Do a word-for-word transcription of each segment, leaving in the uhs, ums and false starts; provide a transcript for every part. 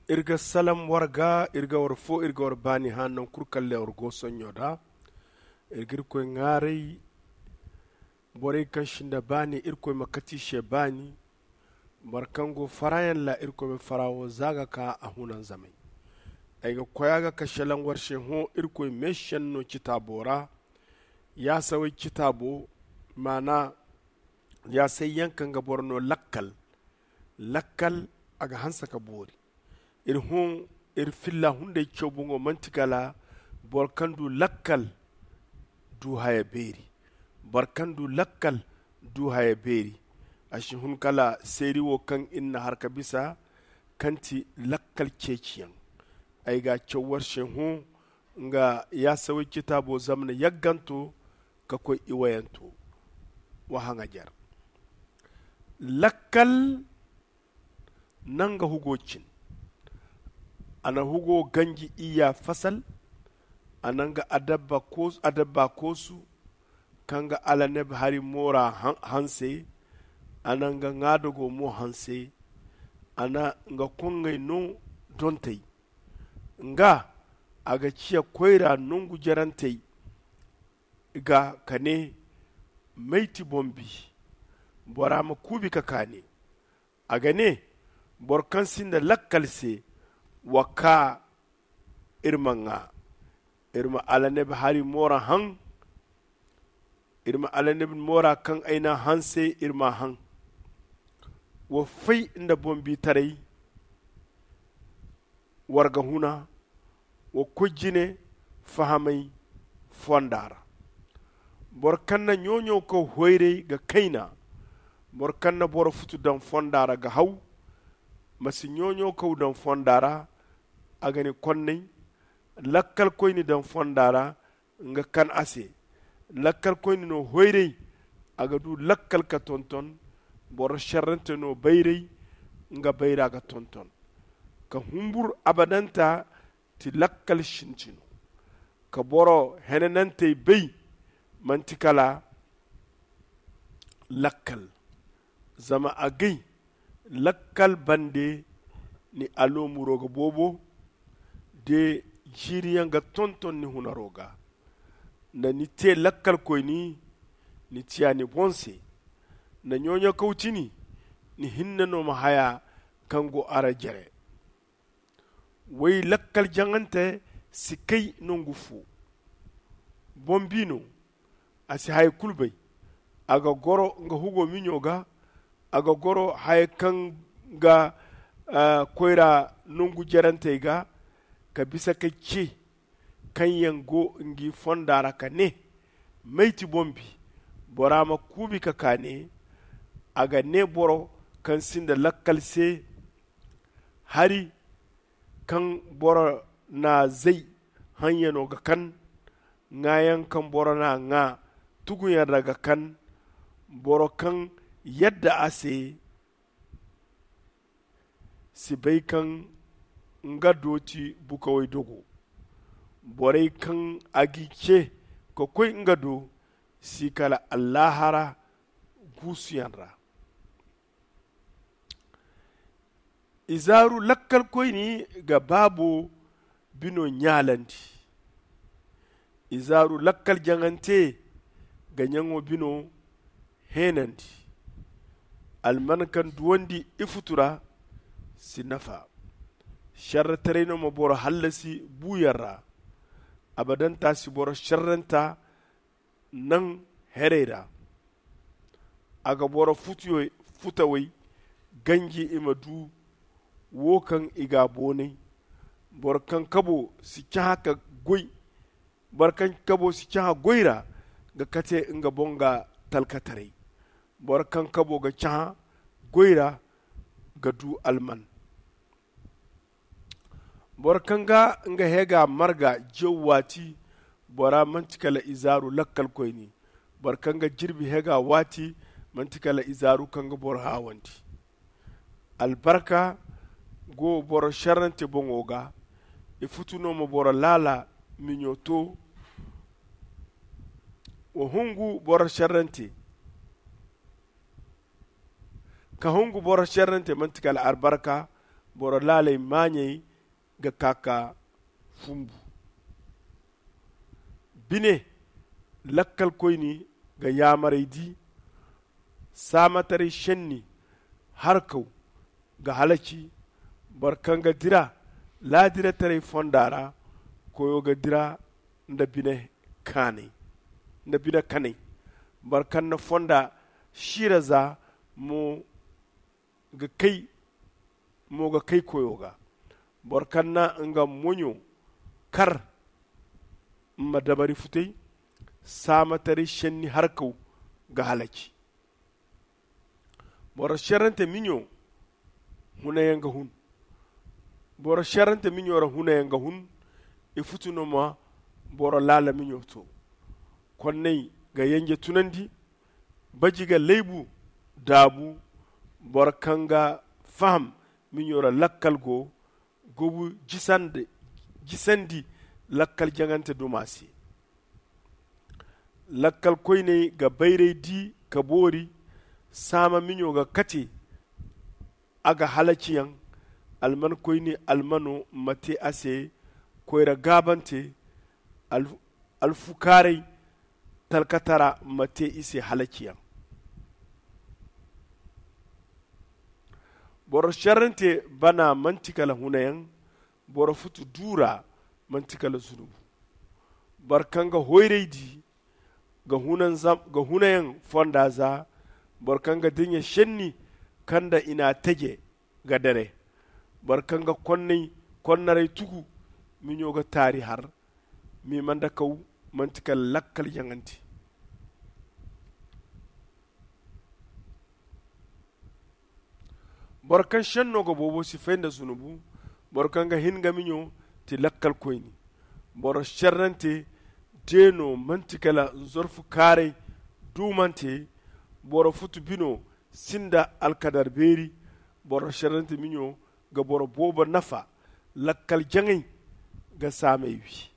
Iri ga salam war ga, iri ga war fo, iri ga war baani hã naŋ kulu kaŋ lewar go sonɲo da. Iri ga irkoy ŋaaray. Borey kaŋ sinda baani irkoy ma kati se baani. Boro kaŋ go farayaŋ ra irkoy ma farawo za ga ka a hunanzamay. Ay ga koy a ga ka selaŋ war se hõ irkoy meesenno no citaabo ra. Yaasawey citaabo maana yaasay yaŋ kaŋ ga boro no lakkal. Lakkal a ga hanse ka boori. Iri hõ iri filla hunday caw boŋo manti kala boro kaŋ du lakkal du haya beeri. Boro kaŋ du lakkal du haya beeri. A si hun kala seeri wo kaŋ iri na har ka bisa kaŋ ti lakkal ceeciyaŋ. Ay ga a caw war se hõ nga yaasawey citaabo zamana yagganto ka koy iwayanto. Wa haŋajer lakkal na nga hugo cin. A na hugo ganji iyya fasal. A na nga adabba koosu kaŋ ga alaneb hari moora hanse. A na nga ŋaadago mo hanse. A na nga koŋŋey no dontey. Nga a ga ciya koyra nongu jerantey ga ka ne, may ti boŋ bi? Bora ma kuubi ka kaane. A ga ne, boro kaŋ sinda lakkal se, wa kaa iri ma ŋaa. Iri ma alaneb hari moora haŋ. Iri ma alaneb moora kaŋ ay n'a hanse iri m'a haŋ. Wa fay nda boŋ biitaray. War ga huna wa koy jine fahamay fonda ra. Boro kaŋ na ɲooɲo kaw hoyray ga kayna. Boro kaŋ na boro futu daŋ fonda ra ga haw. Ma si ɲooɲo kaw daŋ fonda ra. A ga ni konnay lakkalkoyni daŋ fonda ra. Nga kan a se lakkalkoyni no hoyray. A ga du lakkal ka tonton. Boro serrante no bayray. Nga bayra ga tonton ka humbur abadanta ti lakkal sintino. Ka boro henanantey bay manti kala lakkal. Zama agay lakkal bande ni aloomuro ga boobo. De jiiriyaŋ ga tonton ni hunaro ga. Nda ni te lakkalkoyni ni tiya ni boŋ se. Nda ɲooɲo kaw tini ni hinne no ma haya kaŋ go a ra jere. Way lakkal jaŋante si kay nongu fo. Boŋ bi no a si haya kulu bay. A ga goro nga hugo miɲo ga. A ga goro haya kaŋ ga koyra nongu jerantey ga ka bisa ka ce kaŋ yaŋ go ngi fonda ra ka ne, may ti boŋ bi? Bora ma kuubi ka kaane. A ga ne boro kaŋ sinda lakkal se. Hari kaŋ boro na zay haŋyano ga kan. Ŋaayaŋ kaŋ boro na ŋaa tuguyaŋ ra ga kan. Boro kaŋ yadda a se si bay kaŋ nga do ti bukawey dogo. Borey kaŋ a g'i ce ka koy nga do si kala allaahara guusuyaŋ ra. Izaaru lakkalkoyni ga baabo bino ɲaalandi. Izaaru lakkal jaŋante ga ɲaŋo bino heenandi. Alman kaŋ duwandi ifutu ra si nafa. Serretaray no ma boro hallasi buuyaŋ ra. Abadanta si boro serrenta naŋ herey ra. A ga boro futawey ganji i ma du wo kaŋ i ga a boonay. Boro kaŋ kabo si cahã ka goy. Boro kaŋ kabo si cahã goy ra ga kate nga boŋ ga talkataray. Boro kaŋ kabo ga cahã goy ra ga du alman. Boro kaŋ ga nga heega marga jaw waati, bora manti kala izaaru lakkalkoyni. Boro kaŋ ga jirbi heega waati manti kala izaaru kaŋ ga boro haawandi. Albarka go boro serrante boŋo ga. Ifutu no ma boro laala miɲo to. Wa hungu boro serrante. Ka hungu boro serrante manti kala albarka. boro laaley maaɲey ga ka ka fumbu. Bine lakkalkoyni ga yaamarey di. Saamataray šenni harkaw ga halaci. Boro kaŋ ga dira laadirataray fonda ra, koyo ga dira nda bine kanay. Boro kaŋ na fonda siira za mo ga kay mo ga kay koyo ga. Boro kaŋ na nga moɲo kar ma dabari futay. Saamataray šenni harkaw ga halaci. Boro šerrante miɲo hunayaŋ ga hun. Boro šerrante miɲo ra hunayaŋ ga hun. I futu no ma boro laala miɲo to. Konnay ga yanje tunandi. Baji ga laybu daabu. Boro kaŋ ga faham miɲo ra lakkal go gobu jisandi lakkal jaŋante duma se. Lakkal koyney ga bayray di ka boori. Saama miɲo ga kate a ga halaciyaŋ. Alman koyne almano ma te a se koyra gaabante. Alfukaaray talkatara ma te i se halaciyaŋ. Boro šerrante bana manti kala hunayaŋ. Boro futu duura manti kala zunubu. Boro kaŋ ga hoyray di ga hunayaŋ fonda za. Boro kaŋ ga diɲa šenni kaŋ nda i n'a teje ga dere. Boro kaŋ ga konnaray tugu miɲo ga taari har. Mimandakaw manti kala lakkal jaŋante. Boro kaŋ šenno ga boobo si fay nda zunubu. Boro kaŋ ga hin nga miɲo ti lakkalkoyne. Boro šerrante deeno manti kala nzorfu kaaray duumante. Boro futu bino sinda alkadar beeri. Boro šerrante miɲo ga boro boobo nafa. Lakkal jaŋay ga saamey wi.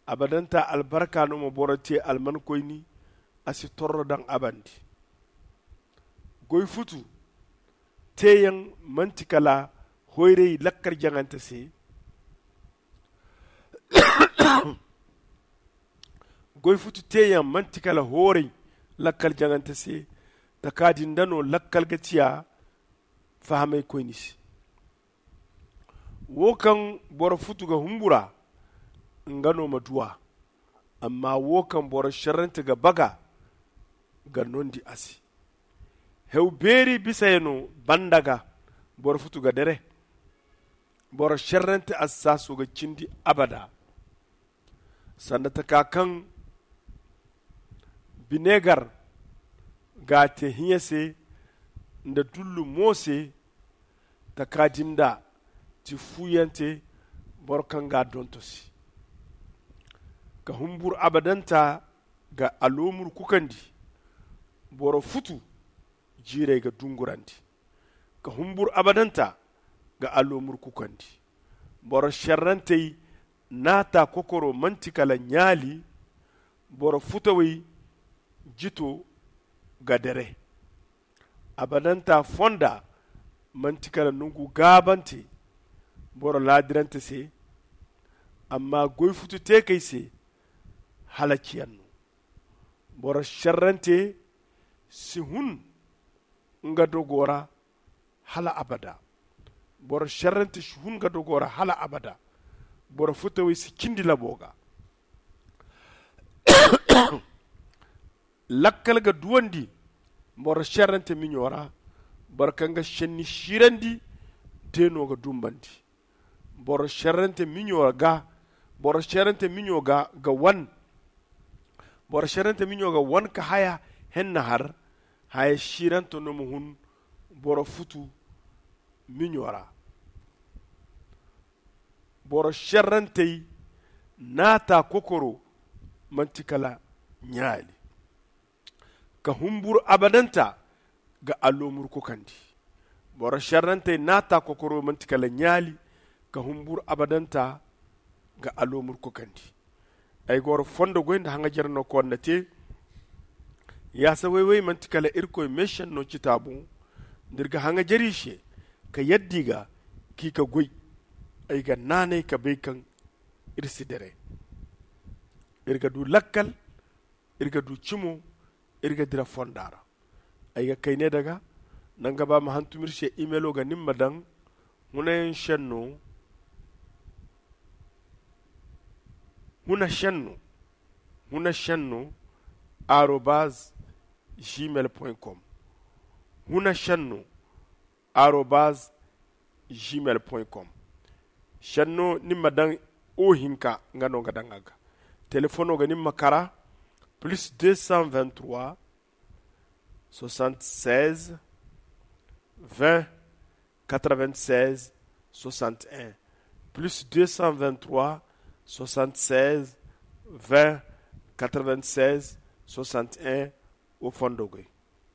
Abadanta albarka no ma boro te almankoyni. A si torro daŋ a bande. Goy futu teeyaŋ manti kala hoyray lakkal jaŋante se. Goy futu teeyaŋ manti kala hooray lakkal jaŋante se. Taka din da no lakkal ga ciya fahamaykoyni se. Wo kaŋ boro futu ga humbura nga no ma duw'a. Amma wo kaŋ boro šerrante ga baga ga nondi a se. Hew beeri bisayano banda ga boro futu ga dere. Boro šerrante assaaso ga cindi abada. Sanda taka kaŋ binegar ga a te hiɲa se nda dullu mo se. Taka din da ti fuuyante boro kaŋ ga a donto se. Ka humbur abadanta ga aloomur kukandi. Boro futu jiirey ga dungurandi. Ka humbur abadanta ga aloomur kukandi. Boro šerrantey naata kokoro manti kala ɲaali. Boro futawey jito ga dere. Abadanta fonda manti kala nongu gaabante boro laadirante se. Amma goy futu teekey se halaciyaŋ no. Boro šerrante si hun nga dogo ra hala abada. Boro šerrante si hun nga dogo ra hala abada. Boro futawey si cindi labo ga. Lakkal ga duwandi boro šerrante miɲo ra. Boro kaŋ ga šenni siirandi deeno ga dumbandi. Boro šerrante miɲo ga boro šerrante miɲo ga ga wan. Boro šerrante miɲo ga wan ka haya henna har. Haya siirante no ma hun boro futu miɲo ra. Boro šerrantey naata kokoro manti kala ɲaali. Ka humburu abadanta ga aloomur kukandi. Boro šerrantey naata kokoro manti kala ɲaali. Ka humburu abadanta ga aloomur kukandi. Ay goro fondo goy nda haŋajer no koonna te. Yaasa wayway manti kala irkoy meesenno citaabo. Nda iri ga haŋajer i se ka yadda i ga, k'i ka goy. Ay ga naanay ka bay kaŋ iri si dere. Iri ga du lakkal, iri ga du cimo, iri ga dira fonda ra. Ay ga kay ne daga, nanga ba ma hantum iri se imelo ga nin ma daŋ hunayaŋ senno huna senno huna senno arobaz gmail point com. Huna senno arobaz gmail point com. Senno nin ma daŋ o hinka nga no nga daŋ a ga. Telefono ga nin ma kara plus deux cent vingt-trois soixante-seize vingt quatre-vingt-seize soixante-un, plus deux cent vingt-trois soixante-seize vingt quatre-vingt-seize soixante-un. O fondo goy.